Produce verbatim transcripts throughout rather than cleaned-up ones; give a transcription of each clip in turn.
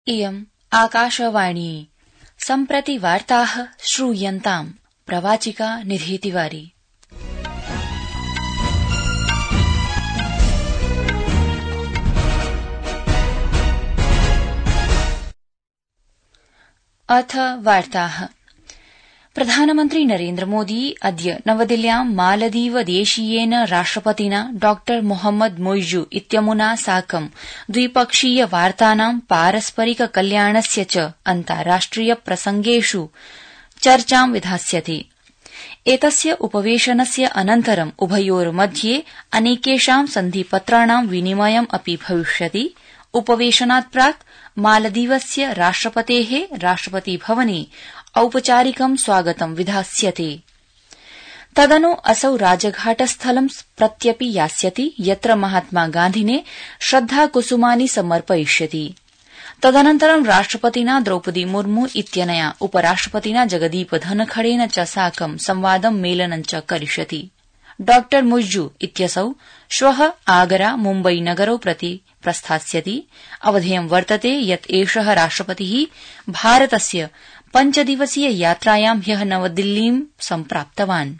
इयम् आकाशवाणी सम्प्रति वार्ताः श्रूयन्ताम् प्रवाचिका निधीतिवारी। अथ वार्ताः। प्रधानमन्त्री नरेन्द्र मोदी अद्य नवदिल्ल्यां मालदीव देशीयेन राष्ट्रपतिना डॉ मोहम्मद मोइजू इत्यमुना साकं द्विपक्षीय वार्तानां पारस्परिक कल्याणस्य च अन्ताराष्ट्रिय प्रसंगेषु चर्चां विधास्यति। एतस्य उपवेशनस्य अनन्तरं उभयोर्मध्ये अनेकेषां सन्धिपत्राणां विनिमयम् अपि भविष्यति। उपवेशनात् प्राक् मालदीवस्य राष्ट्रपतेः राष्ट्रपतिभवने औपचारिकं स्वागतं विधास्यते। तदनु असौ राजघाटस्थलं प्रत्यपि यास्यति, यत्र महात्मा गान्धिने श्रद्धाकुसुमानि समर्पयिष्यति। तदनन्तरं राष्ट्रपतिना द्रौपदी मुर्मू इत्यनया उपराष्ट्रपतिना जगदीप धनखड़ेन च साकं संवादं मेलनं च करिष्यति। डॉ मुइजू इत्यसौ श्वः आगरा मुम्बई नगरौ प्रति प्रस्थास्यति। अवधेयं वर्तते यत् एषः राष्ट्रपतिः भारतस्य पञ्चदिवसीय यात्रायां ह्यः नवदिल्लीं सम्प्राप्तवान्।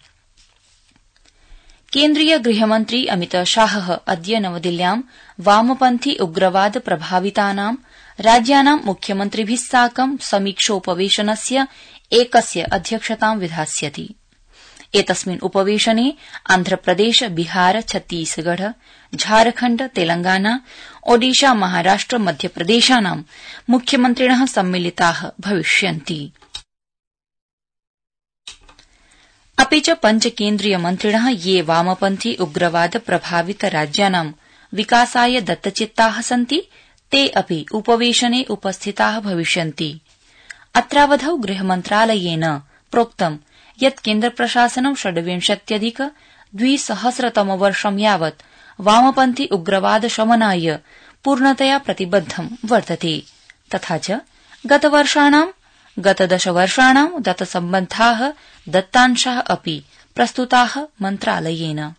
केन्द्रीय गृहमन्त्री अमित शाहः अद्य नवदिल्ल्यां वामपन्थी उग्रवाद प्रभावितानां राज्यानां मुख्यमन्त्रिभिः साकं समीक्षोपवेशनस्य एकस्य अध्यक्षतां विधास्यति। एतस्मिन् उपवेशने आन्ध्रप्रदेश, बिहार, छत्तीसगढ़, झारखण्ड, तेलंगाना, ओडिशा, महाराष्ट्र, मध्यप्रदेशानां मुख्यमन्त्रिणः सम्मिलिताः भविष्यन्ति। अपि च पञ्च केन्द्रीय मन्त्रिणः ये वामपन्थी उग्रवाद प्रभावित राज्यानां विकासाय दत्तचित्ताः सन्ति ते अपि उपवेशने उपस्थिताः भविष्यन्ति। अत्रावधौ गृहमन्त्रालयेन प्रोक्तम् यत् केन्द्रप्रशासनं षड्विंशत्यधिक द्विसहस्रतमवर्षं यावत् वामपन्थी उग्रवाद शमनाय पूर्णतया प्रतिबद्धं वर्तते। तथा च गतवर्षाणां गतदशवर्षाणां दत्तसम्बद्धाः दत्तांशाः अपि प्रस्तुताः मन्त्रालयेन।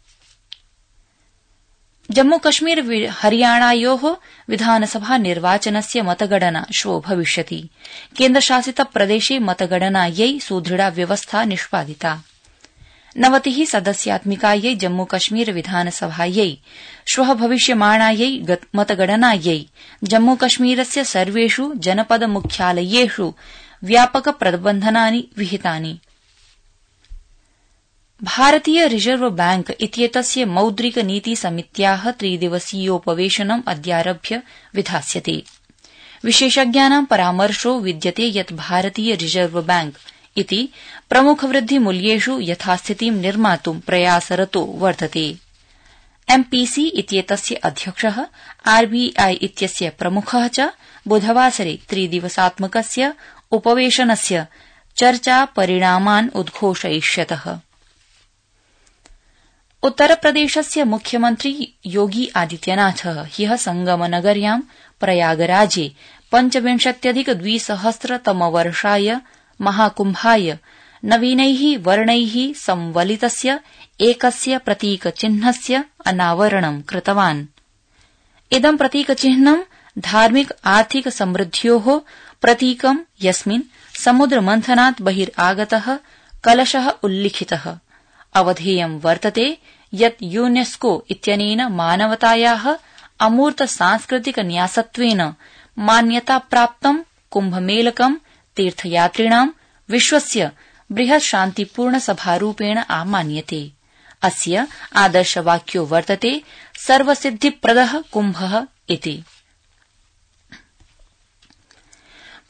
जम्मूकश्मीर हरियाणायोः विधानसभा निर्वाचनस्य मतगणना श्वो भविष्यति। केन्द्रशासित प्रदेशे मतगणनायै सुदृढा व्यवस्था निष्पादिता। नवतिः सदस्यात्मिकायै जम्मूकश्मीर विधानसभायै श्वः भविष्यमाणायै मतगणनायै जम्मूकश्मीरस्य सर्वेषु जनपद मुख्यालयेषु व्यापक प्रबन्धनानि विहितानि। भारतीय रिजर्व बैंक इत्येतस्य मौद्रिक नीति समित्याः त्रिदिवसीयोपवेशनम् अद्यारभ्य विधास्यते। विशेषज्ञानां परामर्शो विद्यते यत् भारतीय रिजर्व बैंक इति प्रमुखवृद्धिमूल्येषु यथास्थितिं निर्मातुं प्रयासरतो वर्तते। एमपीसी इत्येतस्य अध्यक्षः, आरबीआई इत्यस्य प्रमुखः च बुधवासरे त्रिदिवसात्मकस्य उपवेशनस्य चर्चा परिणामान् उद्घोषयिष्यतः। उत्तरप्रदेशस्य मुख्यमन्त्री योगी आदित्यनाथः ह्यः संगमनगर्यां प्रयागराजे पञ्चविंशत्यधिक द्विसहस्रतमवर्षाय महाकुम्भाय नवीनैः वर्णैः संवलितस्य एकस्य प्रतीकचिह्नस्य अनावरणं कृतवान्। इदं प्रतीकचिह्नं धार्मिक आर्थिक समृद्ध्योः प्रतीकं, यस्मिन् समुद्रमन्थनात् बहिरागतः कलशः उल्लिखितः। अवधेयं वर्तते यत् यूनेस्को इत्यनेन मानवतायाः अमूर्त सांस्कृतिक न्यासत्वेन मान्यताप्राप्तं कुम्भमेलकं तीर्थयात्रिणां विश्वस्य बृहत् शान्तिपूर्ण सभारूपेण आमान्यते। अस्य आदर्शवाक्यो वर्तते सर्वसिद्धिप्रदः कुम्भः इति।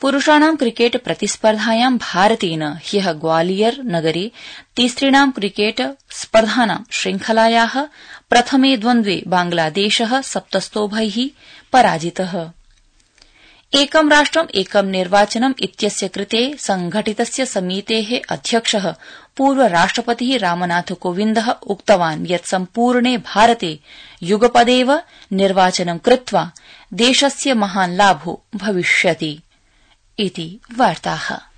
पुरुषाणां क्रिकेट प्रतिस्पर्धायां भारतेन ह्यः ग्वालियर नगरे तिसृणां क्रिकेट स्पर्धानां श्रृंखलायाः प्रथमे द्वन्द्वे बांग्लादेशः सप्तस्तोभैः पराजितः। एकं राष्ट्रम् एकं निर्वाचनम् इत्यस्य कृते संघटितस्य समितेः अध्यक्षः पूर्व राष्ट्रपतिः रामनाथ कोविन्दः उक्तवान् यत् सम्पूर्णे भारते युगपदेव निर्वाचनं कृत्वा देशस्य महान् लाभो भविष्यति इति वार्ताः।